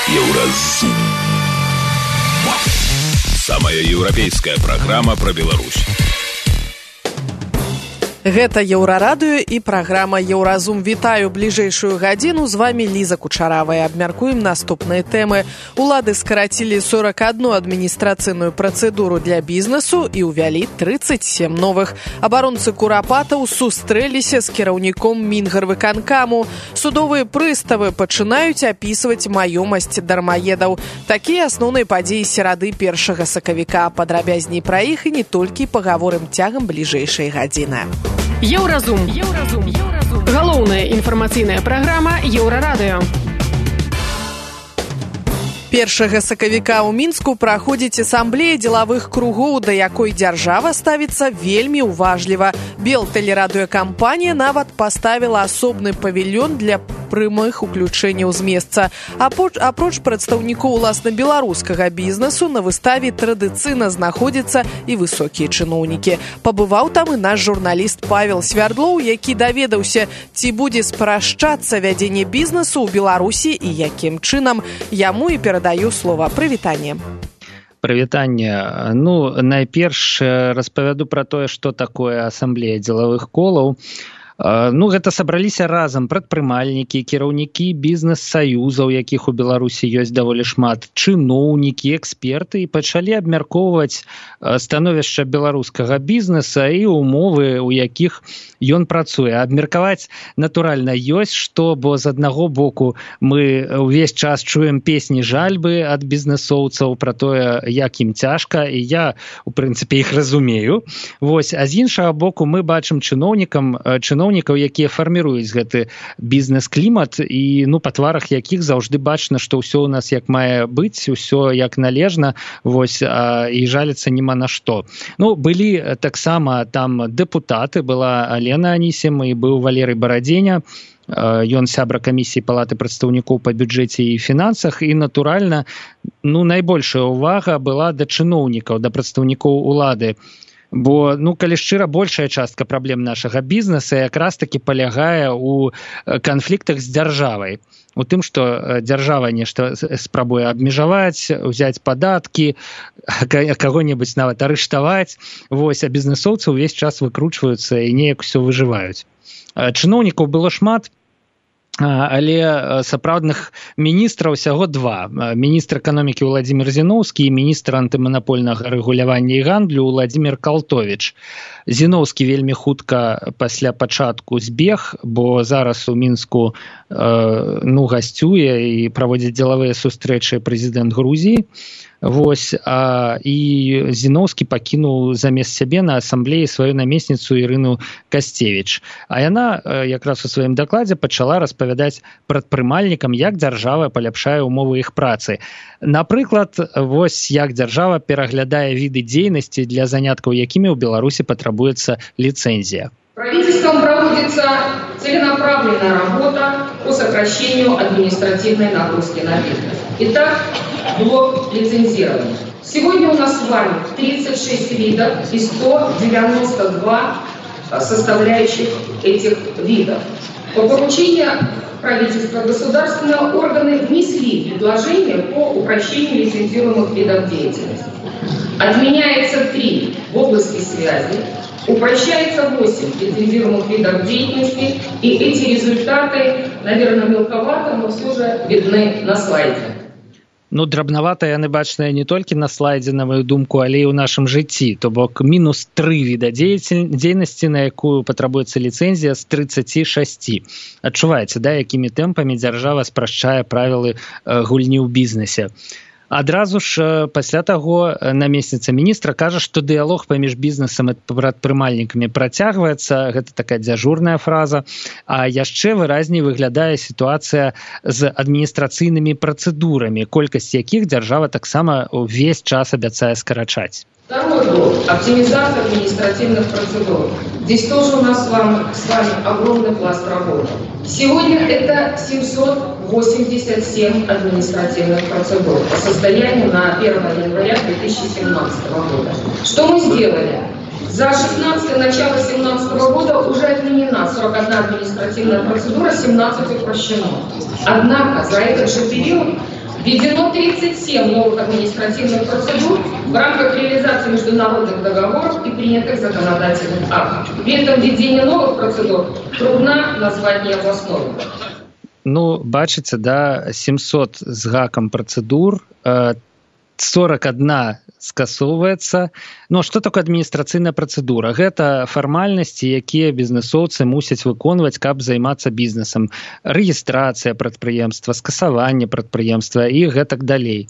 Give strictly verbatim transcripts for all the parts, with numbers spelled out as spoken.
Еўразум. Самая еўрапейская праграма пра Беларусь. Гэта Еўрарадыё і праграма Еўразум. Вітаю бліжэйшую гадзіну. З вами Ліза Кучаравая. Абмяркуем наступныя тэмы. Улады скарацілі сорок одну адміністрацыйную працэдуру для бізнесу і ўвялі тридцать семь новых. Абаронцы курапатаў сустрэліся з кіраўніком Мінгарвыканкаму. Судовыя прыставы пачынаюць апісваць маёмасць дармаедаў. Такія асноўныя падзеі серады першага сакавіка. Падрабязней пра іх і не толькі пагаворым цягам бліжэйшай гадзіны. Еўразум. Еўразум. Еўразум. Галоўная інфармацыйная праграма Еўрарадыё. Першага сакавіка ў Мінску праходзіць асамблея дзелавых кругоў, да якой дзяржава ставіцца вельмі ўважліва. Белтэлерадыёкампанія нават паставіла асобны павільён для прямых уключэнняў з месца. Апроч прадстаўнікоў уласна беларускага бізнесу на выставе традыцыйна знаходзяцца і высокія чыноўнікі. Пабываў там і наш журналіст Павел Свярдлоў, які даведаўся, ці будзе спрашчацца вядзенне бізнесу ў Беларусі і якім чынам. Яму і перадаю слова. Прывітанне. Прывітанне. Ну, найперш распавяду пра тое, што такое асамблея дзелавых колаў. Ну, гэта сабраліся разам прадпрымальнікі, кіраўнікі бізнес-саюзаў, якіх у Беларусі ёсць даволі шмат, чыноўнікі, эксперты, і пачалі абмяркоўваць становішча беларускага бізнеса і умовы, у якіх ён працуе. Абмеркаваць, натуральна, ёсць што, бо з аднаго боку мы ўвесь час чуем песні жальбы ад бізнесоўцаў пра тое, як ім цяжка, і я, у прынцыпе, іх разумею. Вось, а з іншага боку мы бачым чыноўнікам, чыноўнікаў, якія фарміруюць гэты бізнес-клімат, і ну, па тварах якіх заўжды бачна, што ўсё ў нас як мае быць, усё як належна, вось, а, і жаліцца няма на што. Ну, былі таксама там дэпутаты, была Алена Анісім і быў Валерый Барадзеня, ён сябра камісіі палаты прадстаўнікоў па бюджэце і фінансах, і, натуральна, ну, найбольшая ўвага была да чыноўнікаў, да прадстаўнікоў улады. Бо, ну, калі шчыра, большая частка праблем нашага бізнеса якраз таки палягае ў канфліктах з дзяржавай. У тым, што дзяржава нешта спрабуе абмежаваць, узяць падаткі, каго-небудзь нават арыштаваць, вось, а бізнесоўцы ўвесь час выкручваюцца і неяк усё выжываюць. Чыноўнікаў было шмат, але сапраўдных міністраў усяго два. Міністр эканомікі Владзімір Зіноўскі і міністр антыманапольнага рэгулявання і гандлю Владзімір Калтовіч. Зіноўскі вельмі хутка пасля пачатку збег, бо зараз у Мінску э, ну, гасцюе і праводзіць дзелавыя сустрэчы прэзідэнт Грузіі. Вось, а, і Зіноўскі пакінуў замест сябе на асамблеі сваю намесніцу Ірыну Касцевіч. А яна якраз у сваім дакладзе пачала распавядаць прадпрымальнікам, як дзяржава паляпшае ўмовы іх працы. Напрыклад, вось як дзяржава пераглядае віды дзейнасці, для заняткаў якімі ў Беларусі патрабуецца лицензия. Правительством проводится целенаправленная работа по сокращению административной нагрузки на бизнес. Итак, блок лицензирования. Сегодня у нас с вами тридцать шесть видов и сто девяносто два составляющих этих видов. По поручению правительства государственные органы внесли предложения по упрощению лицензируемых видов деятельности. Отменяется три в области связи, упрощается восемь лицензируемых видов деятельности, и эти результаты, наверное, мелковато, но все же видны на слайде. Ну, драбнавата яны бачныя не толькі на слайдзе, на маю думку, але і ў нашым жыцці. То бок мінус тры віда дзейнасці, на якую патрабуецца ліцэнзія з трыццаці шасці. Адчуваеце, да, якімі тэмпамі дзяржава спрашчае правілы гульні ў бізнесе. Адразу ж пасля таго намесніца міністра кажа, што дыялог паміж бізнесам і прадпрымальнікамі працягваецца, гэта такая дзяжурная фраза, а яшчэ выразней выглядае сітуацыя з адміністрацыйнымі працэдурамі, колькасць якіх дзяржава таксама ўвесь час абяцае скарачаць. Второй блок – оптимизация административных процедур. Здесь тоже у нас с вами, с вами огромный пласт работы. Сегодня это семьсот восемьдесят семь административных процедур по состоянию на первое января две тысячи семнадцатого года. Что мы сделали? За шестнадцатое, начало семнадцатого года уже отменена сорок одна административная процедура, семнадцать упрощено. Однако за этот же период Введено тридцать семь новых административных процедур в рамках реализации международных договоров и принятых законодательных актов. При этом введение новых процедур трудно назвать необоснованным. Ну, бачыце, да, семьсот з гакам працэдур, сорок одна скасоўваецца. Ну, што такое адміністрацыйная працэдура? Гэта фармальнасці, якія бізнэсоўцы мусяць выконваць, каб займацца бізнесам. Рэгістрацыя прадпрыемства, скасаванне прадпрыемства і гэтак далей.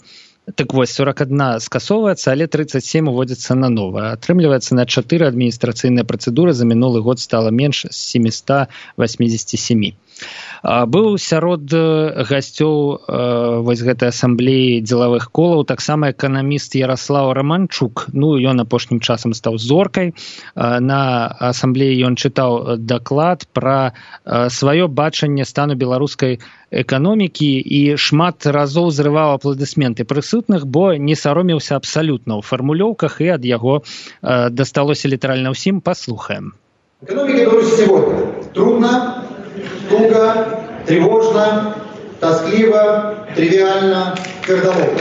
Так вось, сорок одна скасоўваецца, але тридцать семь уводзіцца на новае. Атрымліваецца, на чатыры адміністрацыйныя працэдуры за мінулы год стала менш з семьсот восемьдесят семь. Быў сярод гасцёў вось гэтай асамблеі дзелавых колаў таксама эканаміст Ярослаў Романчук. Ну, ён апошнім часам стаў зоркай. На асамблеі ён чытаў даклад пра сваё бачанне стану беларускай эканомікі і шмат разоў зрываў апладысменты прысутных, бо не саромеўся абсалютна ў фармулёўках, і ад яго дасталося літаральна ўсім. Паслухаем. Экономика Беларуси сегодня трудно, туго, тревожно, тоскливо, тривиально, твердолобо.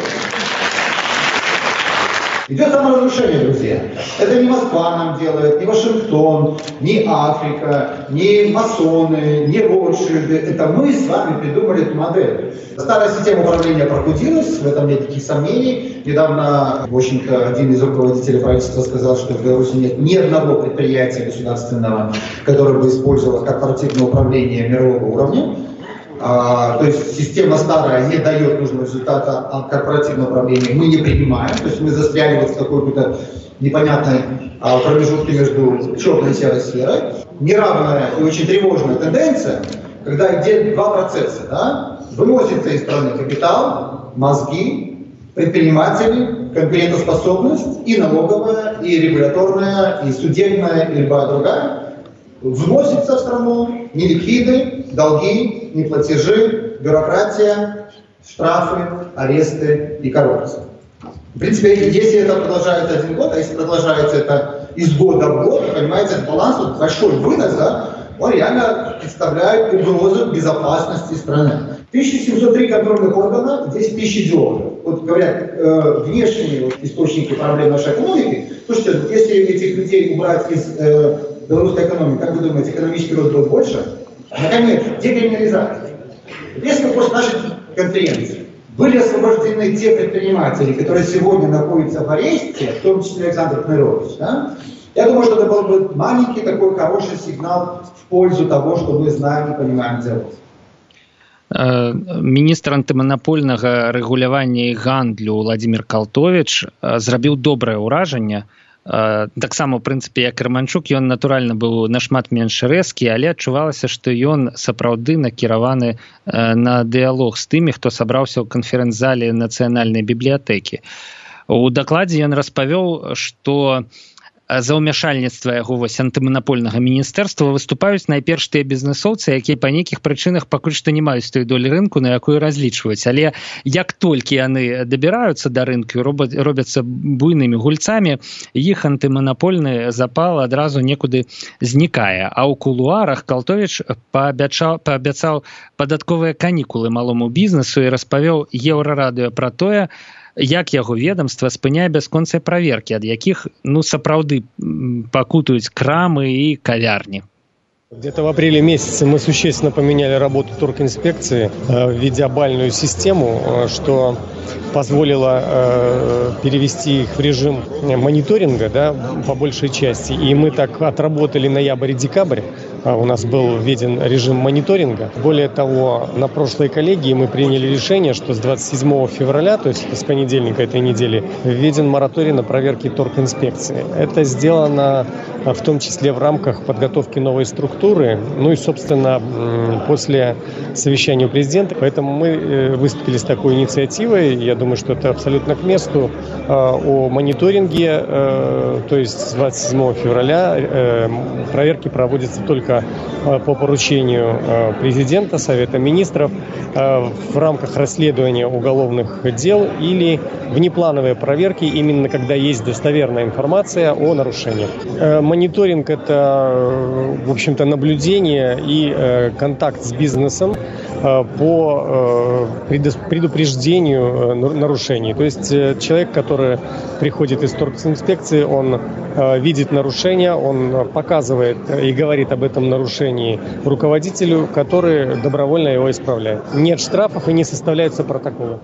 Идет саморазрушение, друзья. Это не Москва нам делает, не Вашингтон, не Африка, не масоны, не Ротшильды. Это мы с вами придумали эту модель. Старая система управления прокрутилась, в этом нет никаких сомнений. Недавно, в общем-то, один из руководителей правительства сказал, что в Беларуси нет ни одного предприятия государственного, которое бы использовало корпоративное управление мирового уровня. А, то есть система старая не дает нужного результата, а корпоративное управление мы не принимаем. То есть мы застряли вот в какой-то непонятной а, промежутке между черной и серой сферой. Неравная и очень тревожная тенденция, когда идет два процесса. Да? Выносится из страны капитал, мозги, предприниматели, конкурентоспособность и налоговая, и регуляторная, и судебная, и любая другая. Вносится в страну неликвиды, долги, неплатежи, бюрократия, штрафы, аресты и коррупция. В принципе, если это продолжается один год, а если продолжается это из года в год, понимаете, этот баланс, вот большой вынос, да, он реально представляет угрозу безопасности страны. тысяча семьсот три контрольных органа, десять тысяч идеологов. Вот говорят, э, внешние вот, источники проблем нашей экономики. Слушайте, если этих людей убрать из э, белорусской экономики, как вы думаете, экономический рост был больше? Наконец, декриминализация. Если после нашей конференции были освобождены те предприниматели, которые сегодня находятся в аресте, в том числе Александр Кнырович, да, я думаю, что это был бы маленький такой хороший сигнал в пользу того, что мы знаем и понимаем делать. Міністр антыманапольнага рэгулявання і гандлю Владзімір Калтовіч зрабіў добрае ўражанне. Таксама, у прынцыпе, як Романчук, ён натуральна быў нашмат менш рэзкі, але адчувалася, што ён сапраўды накіраваны на дыялог з тымі, хто сабраўся ў канферэнц-зале нацыянальнай бібліятэкі. У дакладзе ён распавёў, што за ўмяшальніцтва яго вось антыманапольнага міністэрства выступаюць найперш тыя бізнэсоўцы, якія па нейкіх прычынах пакуль што не маюць той долі рынку, на якую разлічваюць. Але як толькі яны дабіраюцца да рынку, робяцца буйнымі гульцамі, іх антыманапольны запал адразу некуды знікае. А ў кулуарах Калтовіч паабяцаў, паабяцаў падатковыя канікулы малому бізнесу і распавёў Еўрарадыё пра тое, як яго ведомства спыняе бясконцыя праверкі, ад якіх, ну, сапраўды пакутуюць крамы і кавярні. Где-то в апреле месяце мы существенно поменяли работу торгинспекции, введя бальную систему, что позволило перевести их в режим мониторинга, да, по большей части. И мы так отработали ноябрь и декабрь. У нас был введен режим мониторинга. Более того, на прошлой коллегии мы приняли решение, что с двадцать седьмого февраля, то есть с понедельника этой недели, введен мораторий на проверки торгинспекции. Это сделано в том числе в рамках подготовки новой структуры, ну и, собственно, после совещания у президента. Поэтому мы выступили с такой инициативой, я думаю, что это абсолютно к месту, о мониторинге, то есть с двадцать седьмого февраля проверки проводятся только по поручению президента, Совета министров, в рамках расследования уголовных дел или внеплановые проверки, именно когда есть достоверная информация о нарушениях. Мониторинг – это, в общем-то, наблюдение и контакт с бизнесом по предупреждению нарушений. То есть человек, который приходит из торгинспекции, он видит нарушение, он показывает и говорит об этом нарушении руководителю, который добровольно его исправляет. Нет штрафов и не составляются протоколы.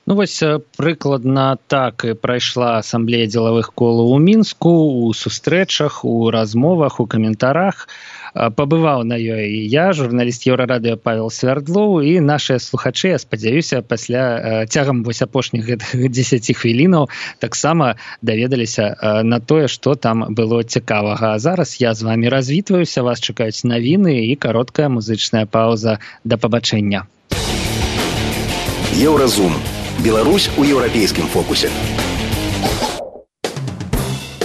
Ну вось прыкладна так і прайшла асамблея дзелавых колаў у Мінску, у сустрэчах, у размовах, у каментарах. Пабываў на ёй і я, журналіст Еўрарадыё Павел Свярдлоў, і нашыя слухачы, я спадзяюся, пасля цягам вось апошніх гэтых дзесяці хвілінаў таксама даведаліся на тое, што там было цікавага. А зараз я з вамі развітваюся, вас чакаюць навіны і кароткая музычная паўза. Да пабачэння. Еўразум. Беларусь у еўрапейскім фокусе.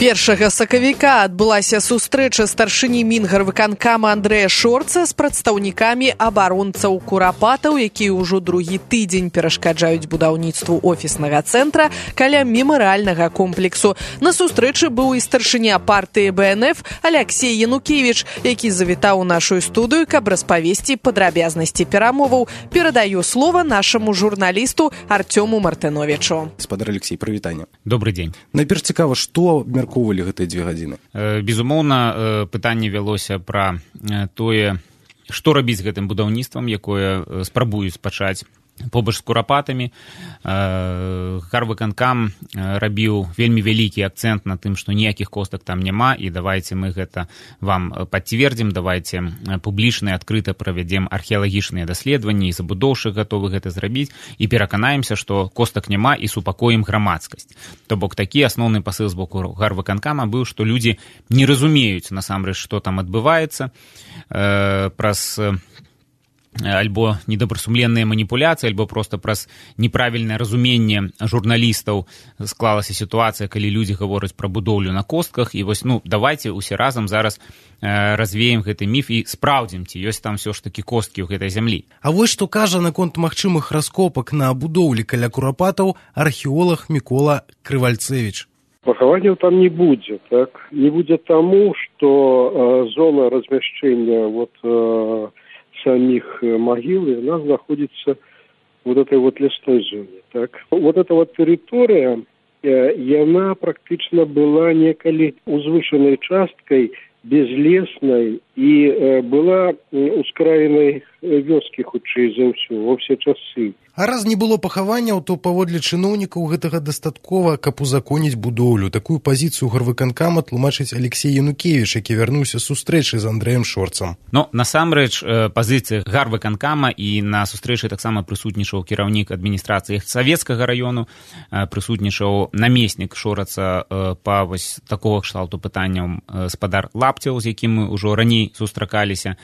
першага сакавіка адбылася сустрэча старшыні Мінгарвыканкама Андрэя Шорца з прадстаўнікамі абаронцаў курапатаў, якія ўжо другі тыдзень перашкаджаюць будаўніцтву офіснага цэнтра каля мемарыяльнага комплексу. На сустрэчы быў і старшыня партыі Бэ Эн Эф Аляксей Янукевіч, які завітаў у нашу студыю, каб распавесці падрабязнасці перамоваў. Перадаю слова нашаму журналісту Артёму Мартыновічу. Спадар Алексей, прывітанне. Добрый дзень. Найперш цікава, што меркоўвалі гэтыя дзве гадзіны? Безумоўна, пытанне вялося пра тое, што рабіць з гэтым будаўніцтвам, якое спрабуюць пачаць побач з курапатамі. Гарвыканкам рабіў вельмі вялікі акцэнт на тым, што ніякіх костак там няма, і давайце мы гэта вам пацвердзім, давайце публічна і адкрыта правядзем археалагічныя даследаванні, і забудоўшчык гатовы гэта зрабіць, і пераканаемся, што костак няма, і супакоім грамадскасць. То бок такі асноўны пасыл з боку Гарвыканкама быў, што людзі не разумеюць насамрэч, што там адбываецца, праз альбо недобрасумленныя маніпуляцыі, альбо проста праз неправільнае разуменне журналістаў склалася сітуацыя, калі людзі гавораць пра будоўлю на костках, і вось, ну, давайце усе разам зараз э, развеем гэты міф і спраўдзім, ці ёсць там ўсё ж такі косткі ў гэтай зямлі. А вось што кажа наконт магчымых раскопак на будоўлі каля курапатаў археолог Мікола Крывальцевіч. Пахаванняў там не будзе, так? Не будзе таму, што э, зона размяшчэння вот э, самих могил, и у нас находится вот этой вот лесной зоне. Так? Вот эта вот территория, и она практично была некалі узвышенной часткой, безлесной, и была ускраенной вёскі, хутчэй за ўсё, во все часы. А раз не было пахаванняў, то паводле чыноўнікаў гэтага дастаткова, каб узаконіць будоўлю. Такую пазіцыю Гарвыканкама тлумачыць Алексей Янукевіч, які вярнуўся з сустрэчы з Андрэем Шорцам. Ну, насамрэч, пазіцыя Гарвыканкама, і на сустрэчы таксама прысутнічаў кіраўнік адміністрацыі Савецкага раёну, прысутнічаў намеснік Шораца па вось такога кшталту пытанняў спадар Лапцеў, з якім мы ўжо раней сустракаліся,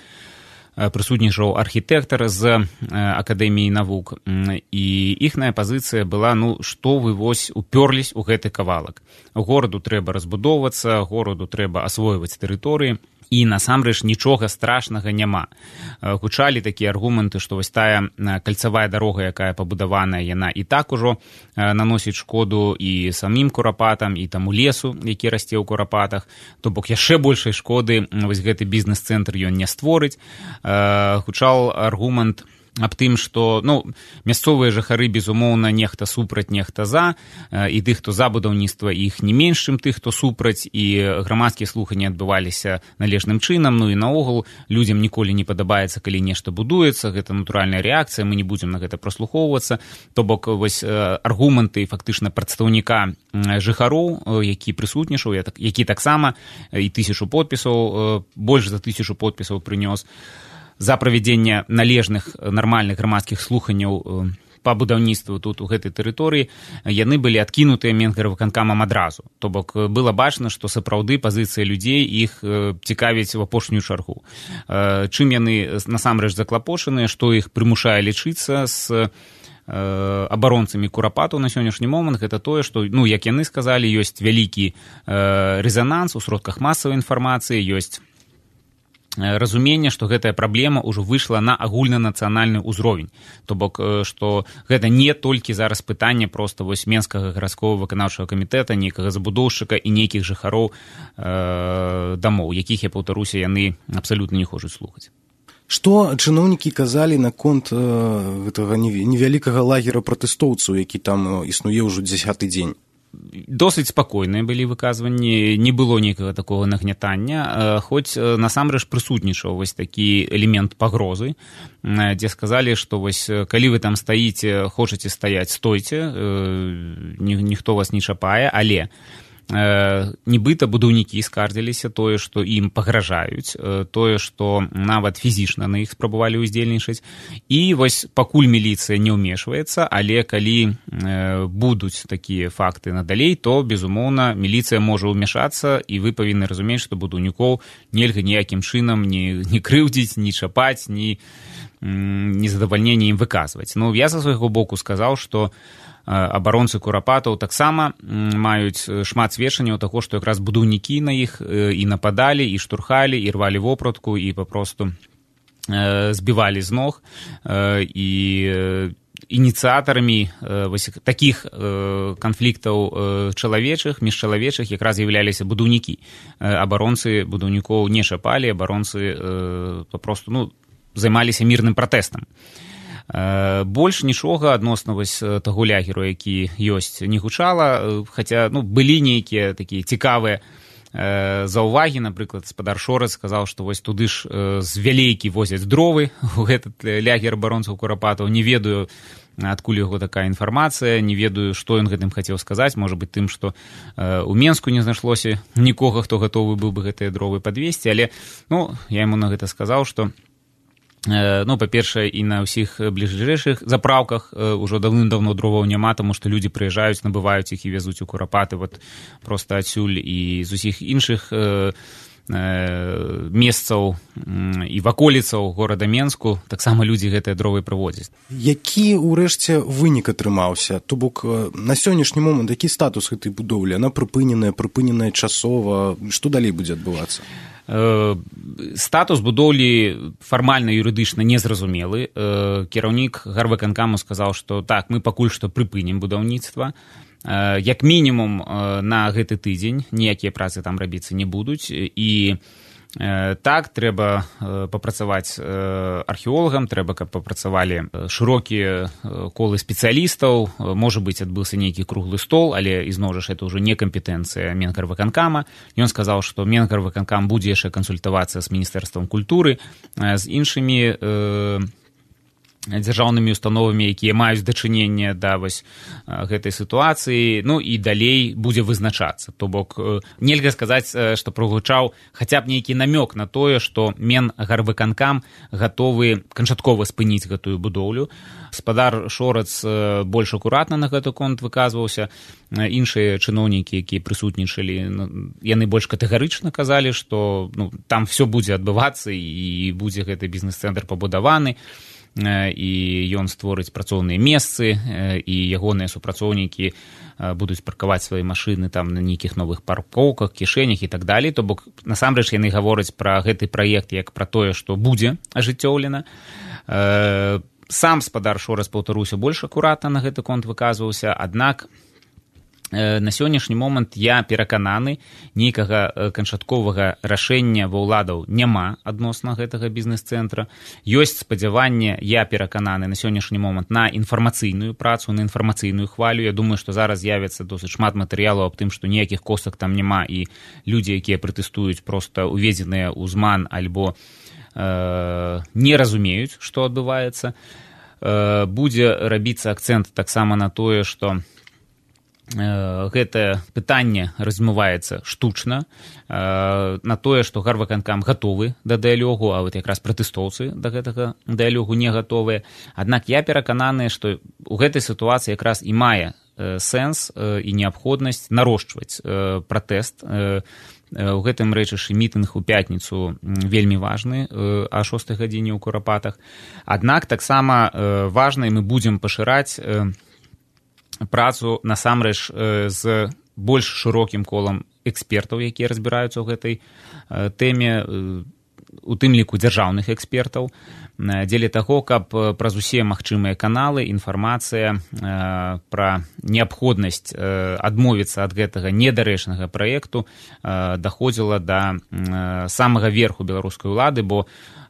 прысутнічаў архітэктар з Акадэміі навук, і іхная пазіцыя была, ну, што вы вось упёрлись у гэты кавалак. Гораду трэба разбудоўвацца, гораду трэба асвойваць тэрыторыі, і насамрэч нічога страшнага няма. Гучалі такія аргументы, што вось тая кальцавая дарога, якая пабудаваная, яна і так ужо наносіць шкоду і самім курапатам, і таму лесу, які расце ў курапатах, то бок яшчэ большай шкоды вось гэты бізнес-цэнтр ён не створыць. Гучаў аргумент аб тым, што, ну, мясцовыя жыхары, безумоўна, нехта супраць, нехта за, і тых, хто за будаўніцтва, іх не менш, чым тых, хто супраць, і грамадскія слуханні адбываліся належным чынам, ну і наогул людзям ніколі не падабаецца, калі нешта будуецца, гэта натуральная рэакцыя, мы не будзем на гэта праслухоўвацца, то бок вось аргументы фактычна прадстаўніка жыхароў, які прысутнічаў, які таксама і тысячу подпісаў, больш за тысячу подпісаў прынёс, за правядзенне належных нармальных грамадскіх слуханняў па будаўніцтву тут у гэтай тэрыторыі, яны былі адкінутыя Мінгарвыканкамам адразу. То бок было бачна, што сапраўды пазіцыя людзей іх цікавіць в апошнюю чаргу. Чым яны насамрэч заклапошаныя, што іх прымушае лічыцца з абаронцамі курапатаў на сённяшні момант, гэта тое, што, ну, як яны сказалі, ёсць вялікі рэзананс у сродках масавай інфармацыі, ёсць разуменне, што гэтая праблема ўжо выйшла на агульнанацыянальны ўзровень. То бок, што гэта не толькі зараз пытанне проста вось Менскага гарадскога выканаўчага камітэта, нейкага забудоўшчыка і нейкіх жыхароў э, дамоў, якіх, я паўтаруся, яны абсалютна не хочуць слухаць. Што чыноўнікі казалі наконт э, гэтага невялікага лагера пратэстоўцаў, які там існуе ўжо дзясяты дзень? Досыць спакойныя былі выказванні, не было нейкага такога нагнятання, хоць насамрэч прысутнічаў вось такі элемент пагрозы, дзе сказалі, што вось калі вы там стаіце, хочаце стаяць, стойце, ніхто вас не чапае, але нібыта будаўнікі скардзіліся тое, што ім пагражаюць, тое, што нават фізічна на іх спрабавалі ўздзельнічаць. І вось пакуль міліцыя не ўмешваецца, але калі будуць такія факты надалей, то, безумоўна, міліцыя можа ўмешацца, і вы павінны разумець, што будаўнікоў нельга ніякім чынам ні, ні крыўдзіць, ні чапаць, ні незадавальненне ім выказваць. Ну, я са свайго боку сказаў, што абаронцы курапатаў таксама маюць шмат сведчанняў таго, што якраз будаўнікі на іх і нападалі, і штурхалі, і рвалі вопратку, і папросту збівалі з ног. І ініцыятарамі такіх канфліктаў чалавечых, міжчалавечых якраз з'яўляліся будаўнікі. Абаронцы будаўнікоў не чапалі, абаронцы папросту, ну, займаліся мірным пратэстам. Больш нічога адносна вось таго лягеру, які ёсць, не гучала, хаця, ну, былі нейкія такія цікавыя заўвагі. Напрыклад, спадар Шорац сказаў, што вось туды ж з вялейкі возяць дровы у гэтыт лягер абаронцаў курапатаў. Не ведаю, адкуль яго такая інфармацыя, не ведаю, што ён гэтым хацеў сказаць. Можа быць тым, што ў Менску не знайшлося нікога, хто гатовы быў бы гэтыя дровы падвесці, але, ну, я яму на гэта сказаў, што ну, па-першае, і на ўсіх бліжэйшых заправках ўжо даўным-даўно дроваў няма, таму што людзі прыязджаюць, набываюць іх і вязуць у курапаты вот проста адсюль і з усіх іншых месцаў і ваколіцаў горада Менску таксама людзі гэтыя дровы прывозяць. Які ўрэшце вынік атрымаўся? То бок на сённяшні момант які статус гэтай будоўлі? Яна прыпыненая, прыпыненая часова, што далей будзе адбывацца? Статус будоўлі фармальна юрыдычна незразумелы. Кіраўнік гарвыканкаму сказаў, што так, мы пакуль што прыпынім будаўніцтва. Як мінімум на гэты тыдзень ніякія працы там рабіцца не будуць. І так, трэба папрацаваць археолагам, трэба, каб папрацавалі шырокія колы спецыялістаў, можа быць, адбыўся нейкі круглы стол, але, ізноў жа, это ўжо не кампетэнцыя Менгарвыканкама. Ён сказаў, што Менгарвыканкам будзе яшчэ кансультавацца з Міністэрствам культуры, з іншымі дзяржаўнымі установамі, якія маюць дачыненне да вось гэтай сітуацыі, ну і далей будзе вызначацца. То бок нельга сказаць, што прагучаў хаця б нейкі намёк на тое, што Менгарвыканкам гатовы канчаткова спыніць гэтую будоўлю. Спадар Шорац больш акуратна на гэты конт выказваўся. Іншыя чыноўнікі, якія прысутнічалі, яны больш катэгарычна казалі, што, ну, там все будзе адбывацца і будзе гэты бізнес-цэнтр пабудаваны, і ён створыць працоўныя месцы, і ягоныя супрацоўнікі будуць паркаваць свае машыны там на нейкіх новых паркоўках, кішэнях і так далей. То бок, насамрэч, яны гавораць пра гэты праект як пра тое, што будзе ажыццёўлена. Сам спадар Шорац, паўтаруся, больш акуратна на гэты конт выказваўся, аднак на сённяшні момант я перакананы, нейкага канчатковага рашэння ва ўладаў няма адносна гэтага бізнес-цэнтра. Ёсць спадзяванне, я перакананы на сённяшні момант на інфармацыйную працу, на інфармацыйную хвалю. Я думаю, што зараз з'явіцца досыць шмат матэрыялаў аб тым, што ніякіх костак там няма, і людзі, якія пратэстуюць, проста уведзеныя ў зман альбо э, не разумеюць, што адбываецца. Э, будзе рабіцца акцэнт таксама на тое, што гэтае пытанне размываецца штучна, на тое, што гарвыканкам гатовы да дыялогу, а вот якраз пратэстоўцы да гэтага дыялогу не гатовыя. Аднак я перакананы, што ў гэтай сітуацыі якраз і мае сэнс і неабходнасць нарошчваць пратэст. У гэтым рэчышы мітынг у пятніцу вельмі важны а шостай гадзіне ў Курапатах. Аднак таксама важна, і мы будзем пашыраць працу насамрэч з больш шырокім колам экспертаў, якія разбіраюцца ў гэтай тэме, у тым ліку дзяржаўных экспертаў. дзеля таго, каб праз усе магчымыя каналы інфармацыя пра неабходнасць адмовіцца ад гэтага недарэчнага праекту даходзіла да самага верху беларускай улады, бо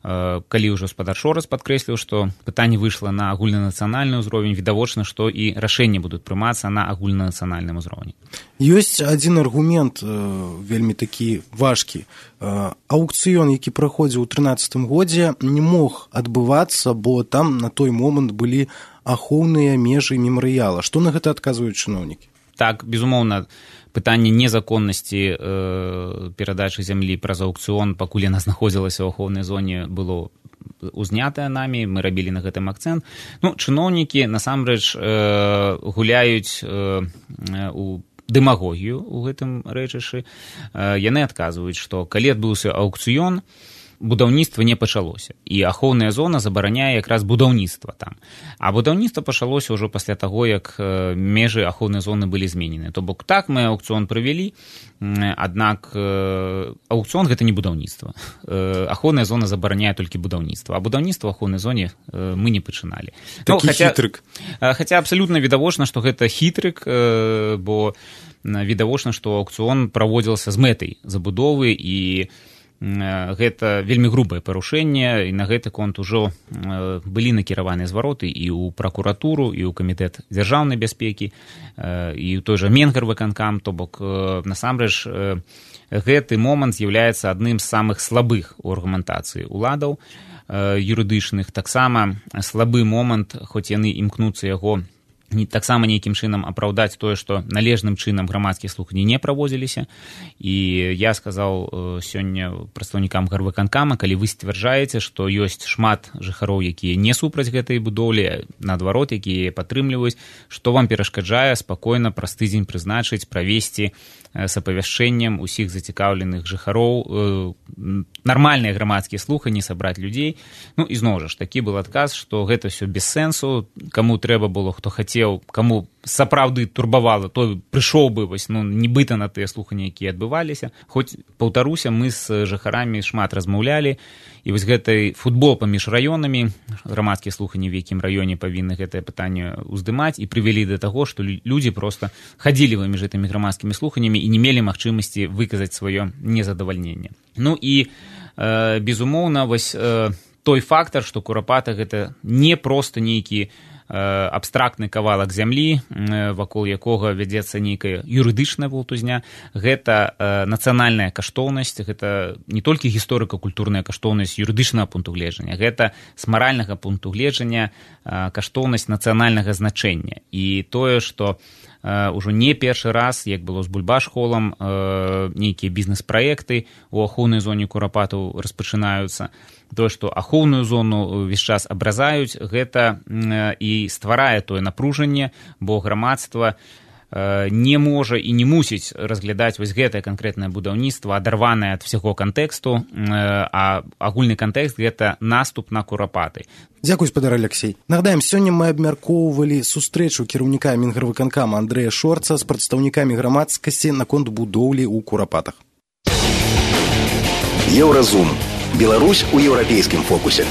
калі ўжо спадар Шорац падкрэсліў, што пытанне выйшла на агульнанацыянальны ўзровень, відавочна, што і рашэнні будуць прымацца на агульнанацыянальным узроўні. Ёсць адзін аргумент вельмі такі важкі. Аўкцыён, які праходзіў у трынаццатым годзе, не мог адбывацца, бо там на той момант былі ахоўныя межы мемарыяла. Што на гэта адказваюць чыноўнікі? Так, безумоўна, пытанне незаконнасці э, перадачы зямлі праз аўкцыён, пакуль яна знаходзілася ў ахоўнай зоне, было узнятае намі, мы рабілі на гэтым акцэнт. Ну, чыноўнікі, насамрэч, э, гуляюць э, у дэмагогію ў гэтым рэчышы. Э, яны адказваюць, што калі адбыўся аўкцыён, будаўніцтва не пачалося. І ахоўная зона забараняе якраз будаўніцтва там. А будаўніцтва пачалося ўжо пасля таго, як межы ахоўнай зоны былі зменены. То бок так мы аўкцыён правялі, аднак аўкцыён гэта не будаўніцтва. Ахоўная зона забараняе толькі будаўніцтва. А будаўніцтва ў ахоўнай зоне мы не пачыналі. Такі ну, хаця, хітрык. Хаця абсалютна відавочна, што гэта хітрык, бо відавочна, што аўкцыён праводзіўся з мэтай забудовы, і гэта вельмі грубае парушэнне, і на гэты конт ужо былі накіраваныя звароты і ў пракуратуру, і ў камітэт дзяржаўнай бяспекі, і ў той жа Менгарвыканкам. То бок, насамрэч, гэты момант з'яўляецца адным з самых слабых у аргументацыі уладаў юрыдычных. Таксама слабы момант, хоць яны імкнуцца яго таксама нейкім чынам апраўдаць тое, што належным чынам грамадскія слуханні не праводзіліся. І я сказаў сёння прадстаўнікам гарвыканкама, калі вы сцвярджаеце, што ёсць шмат жыхароў, якія не супраць гэтай будоўлі, наадварот, якія патрымліваюць, што вам перашкаджае спакойна праз тыдзень прызначыць, правесці с апавяшчэннем усіх зацікаўленых жыхароў нармальныя грамадскія слуханні, сабраць людзей. Ну, і зноў жа ж, такі был адказ, што гэта ўсё без сэнсу, каму трэба было, хто хацеў, каму сапраўды турбавала, той прыйшоў бы, вось, ну, нібыта на тыя слуханні, якія адбываліся. Хоць, паўтаруся, мы з жыхарамі шмат размаўлялі, і вось гэты футбол паміж раёнамі, грамадскія слуханні, в якім раёне павінны гэтае пытанне ўздымаць, і прывялі да таго, што людзі проста хадзілі паміж гэтымі грамадскімі слуханнямі і не мелі магчымасці выказаць сваё незадавальненне. Ну і, э, безумоўна, вось э, той фактар, што Курапата гэта не проста нейкі абстрактны кавалак зямлі, вакол якога вядзецца нейкая юрыдычная валтузня. Гэта нацыянальная каштоўнасць, гэта не толькі гісторыка-культурная каштоўнасць юрыдычнага пункту гледжання, гэта з маральнага пункту гледжання каштоўнасць нацыянальнага значэння. І тое, што ўжо не першы раз, як было з Бульбаш-холам, нейкія бізнес-праекты ў ахоўнай зоне Курапатаў распачынаюцца. Тое, што ахоўную зону ўвесь час абразаюць, гэта і стварае тое напружанне, бо грамадства не можа і не мусіць разглядаць вось гэтае канкрэтнае будаўніцтва, адарванае ад всяго кантэксту, а агульны кантэкст гэта наступ на Курапаты. Дзякуй, спадар Алексей. Нагадаем, сёння мы абмяркоўвалі сустрэчу кіраўніка Менгарвыканкама Андрэя Шорца з прадстаўнікамі грамадскасці наконт будоўлі ў Курапатах. Еўразум. Беларусь у еўрапейскім фокусе.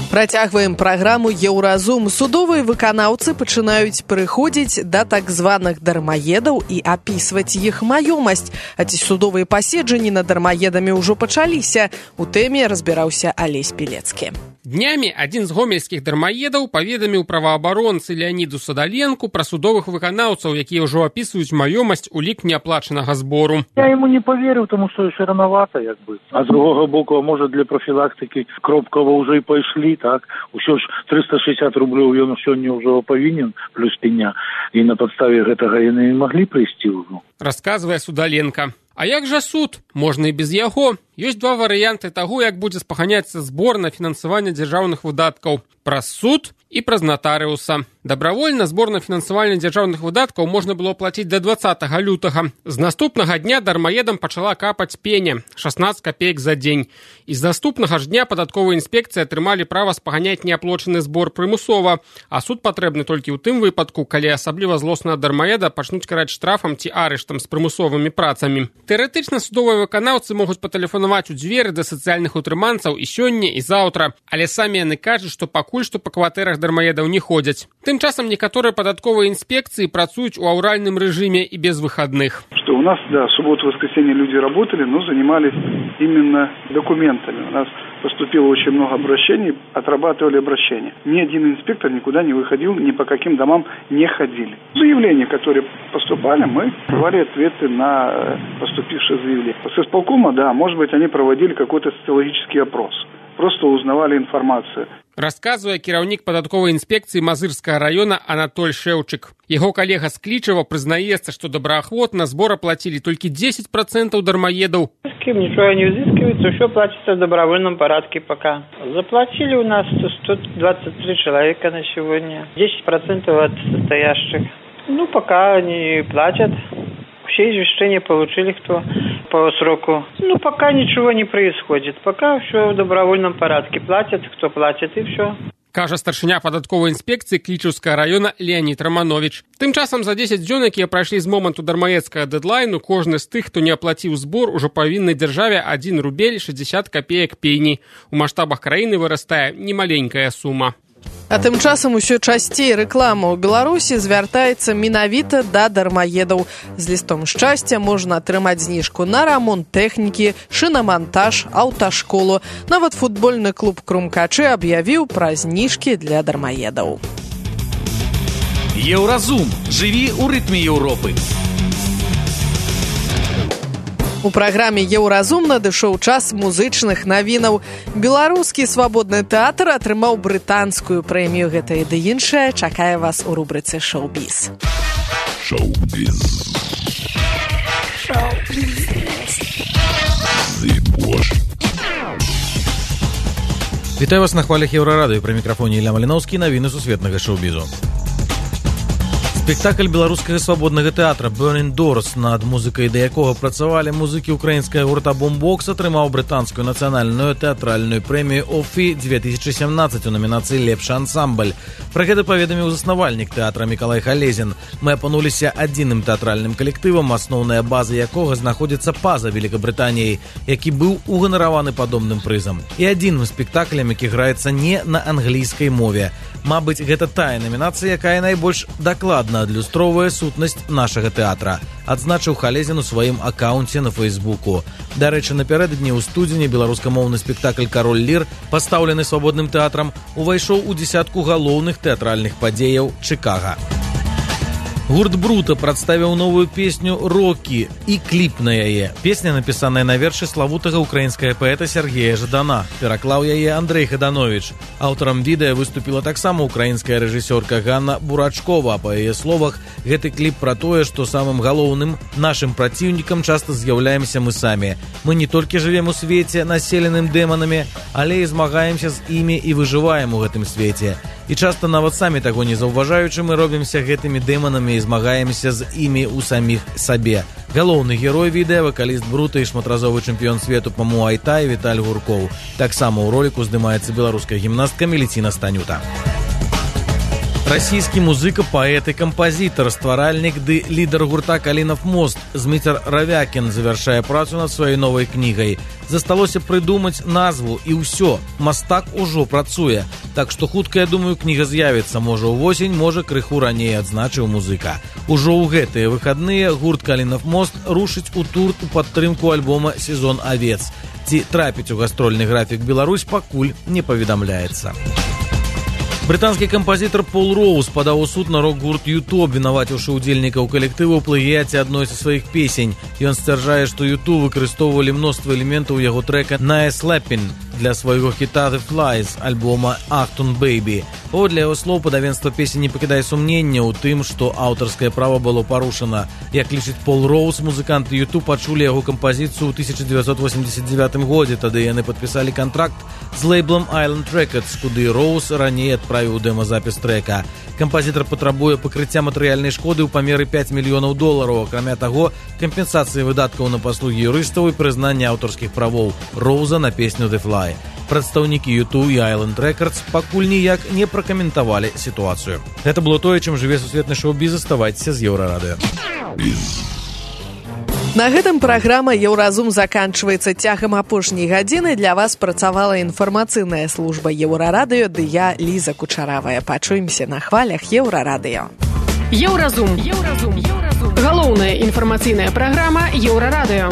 Працягваем праграму «Еўразум». Судовыя выканаўцы пачынаюць прыходзіць да так званых дармаедаў і апісваць іх маёмасць. А ці судовыя паседжанні над дармаедамі ўжо пачаліся? У тэме разбіраўся Алесь Пілецкі. Днямі адзін з гомельскіх дармаедаў паведаміў праваабаронцы Леаніду Садаленку пра судовых выканаўцаў, якія ўжо апісваюць маёмасць у лік неаплачанага збору. Я ему не поверил, тому что еще рановато, як бы. А з другого боку, а может для профилактики Кропкова уже и пошли, так? Усё ж триста шестьдесят рублёў ён сёння ўжо павінен, плюс пеня. І на падставе гэтага яны маглі прыйсці ўжо. Расказвае Судаленко. А як жа суд? Можна і без яго. Ёсць два варыянты таго, як будзе спаханяцца збор на фінансаванне дзяржаўных выдаткаў. Праз суд і праз натарыуса. Дабравольна збор на фінансаванне дзяржаўных выдаткаў можна было плаціць да дваццатага лютага. З наступнага дня дармаедам пачала капаць пеня – шаснаццаць капеек за дзень. І з наступнага ж дня падатковая інспекцыя атрымалі права спаганяць неаплочаны збор прымусова, а суд патрэбны толькі ў тым выпадку, калі асабліва злоснага дармаеда пачнуць караць штрафам ці арыштам з прымусовымі працамі. Тэарэтычна судовыя выканаўцы могуць патэлефанаваць у дзверы да сацыяльных утрыманцаў і сёння, і заўтра, але самі яны кажуць, што пакуль што па кватэрах дармаедаў не ходзяць. Тым часам некаторыя падатковыя інспекцыі працуюць у аўральным рэжыме і без выходных. Что у нас, да, субботу-воскресенье люди работали, но занимались именно документами. У нас поступило очень много обращений, отрабатывали обращения. Ни один инспектор никуда не выходил, ни по каким домам не ходили. Заявления, которые поступали, мы давали ответы на поступившие заявления. С исполкома, да, может быть, они проводили какой-то социологический опрос. Просто узнавали информацию. Расказвае кіраўнік падатковай інспекцыі Мазырскага района Анатоль Шэўчык. Яго калега з Клічава прызнаецца, што добраахвотна збор аплацілі толькі десять процентов дармоедаў. С кем ничего не взыскивается, все платится в добровольном порядке пока. Заплатили у нас сто двадцать три человека на сегодня, десять процентов от состоящих. Ну, пока они платят. Все извещения получили, кто по сроку. Ну, пока ничего не происходит. Пока все в добровольном порядке. Платят, кто платит, и все. Кажа старшыня падатковай інспекцыі Клічаўскага района Леонид Романович. Тым часам за дзесяць дзён, якія прайшлі з моманту дармаедскага дэдлайну, кожны з тых, хто не аплаціў збор, ужо павінны дзяржаве адзін рубель шэсцьдзесят капеек пені. У маштабах краіны вырастае немаленькая сума. А тым часам усё часцей рэклама ў Беларусі звяртаецца менавіта да дармаедаў. З лістом шчасця можна атрымаць зніжку на рамонт тэхнікі, шынамантаж, аўташколу. Нават футбольны клуб Крумкачы аб'явіў пра зніжкі для дармаедаў. Еўразум. Жыві ў рытме Еўропы. У праграме «Еўразум» надышоў час музычных навінаў. Беларускі свабодны тэатр атрымаў брытанскую прэмію. Гэта і ды іншае чакае вас у рубрыцы «Шоу-біз». Шоу-біз. Шоу-біз. Вітаю вас на хвалях Еўрарадыё. Пры мікрафоне Ілля Маліноўскі, навіны сусветнага шоу-бізу. Спектакль беларускага свабоднага тэатра «Burning Doors», над музыкай да якога працавалі музыкі украінскага гурта «Бумбокс», атрымаў брытанскую нацыянальную тэатральную прэмію «Офі» две тысячи семнадцать у номінацыі «Лепшы ансамбль». Пра гэта паведаміў заснавальнік тэатра Мікалай Халезін. Мы апынуліся адзіным тэатральным калектывам, асноўная база якога знаходзіцца па-за Великабрытаніяй, які быў уганараваны падобным прызам. І адзіным спектаклем, які граецца не на англійскай мове. Мабыць, гэта тая намінацыя, якая найбольш дакладна адлюстроўвае сутнасць нашага тэатра, адзначыў Халезін у сваім акаунце на Фейсбуку. Дарэчы, напярэдадні ў студзені беларускамоўны спектакль «Кароль Лір», пастаўлены свабодным тэатрам, увайшоў у дзясятку галоўных тэатральных падзеяў Чыкага. Гурт «Брута» прадставіў новую песню «Рокі» і кліп на яе. Песня, напісаная на вершы славутага украінскага паэта Сергея Жадана. Пераклаў яе Андрэй Хаданович. Аўтарам відэа выступіла таксама украінская рэжысёрка Ганна Бурачкова. Па яе словах, гэты кліп пра тое, што самым галоўным нашым праціўнікам часта з'яўляемся мы самі. Мы не толькі жывем у свеце, населеным дэманамі, але і змагаемся з імі і выжываем у гэтым свеце. І часта нават самі таго не заўважаючы, мы робімся гэтымі дэманамі і змагаемся з імі ў саміх сабе. Галоўны герой відэа, вакаліст «Брута» і шматразовы чэмпіён свету па муай-тай Віталь Гуркоў. Таксама ў роліку здымаецца беларуская гімнастка Меліціна Станюта. Расійскі музыка, паэт і кампазітар, стваральнік ды лідар гурта «Калінов мост» Зміцер Равякін завяршае працу над сваёй новай кнігай. Засталося прыдумаць назву і ўсё. Мастак ужо працуе. Так што хутка, я думаю, кніга з'явіцца. Можа ўвосень, можа крыху раней, адзначыў музыка. Ужо ў гэтыя выхадныя гурт «Калінов мост» рушыць у тур у падтрымку альбома «Сезон авец». Ці трапіць у гастрольны графік Беларусь пакуль не паведамляецца. Брытанскі кампазітар Пол Роуз падаў у суд на рок-гурт «Юту», абвінаваціўшы ўдзельнікаў калектыву ў плагіяце адной са сваіх песень. Ён сцвярджае, што «Юту» выкарыстоўвалі мноства элементаў яго трэка «Nice Slappin». для свайго хіта «The Fly» з альбома «Achtung Baby». Паводле яго слоў, падавенства песні не пакідае сумнення ў тым, што аўтарскае права было парушана. Як лічыць Пол Роуз, музыканты ю ту пачулі яго кампазіцыю ў тысяча дзевяцьсот восемьдесят девятым годзе, тады яны падпісалі кантракт з лейблом Island Records, куды Роуз раней адправіў дэмазапіс трэка. Кампазітар патрабуе пакрыцця матэрыяльнай шкоды ў памеры пяць мільёнаў долараў, акрамя таго, кампенсацыі выдаткаў на паслугі юрыстаў і прызнання аўтарскіх правоў Роуза на песню «The Fly». Прадстаўнікі ю ту і Island Records пакуль ніяк не пракаментавалі сітуацыю. Гэта было тое, чым жыве сусветны шоу-біз. Заставайцеся з Еўрарадыё. На гэтым праграма «Еўразум» заканчваецца. Цягам апошняй гадзіны для вас працавала інфармацыйная служба Еўрарадыё, ды я, Ліза Кучаравая. Пачуемся на хвалях Еўрарадыё. Еўразум. Еўразум. Галоўная інфармацыйная праграма Еўрарадыё.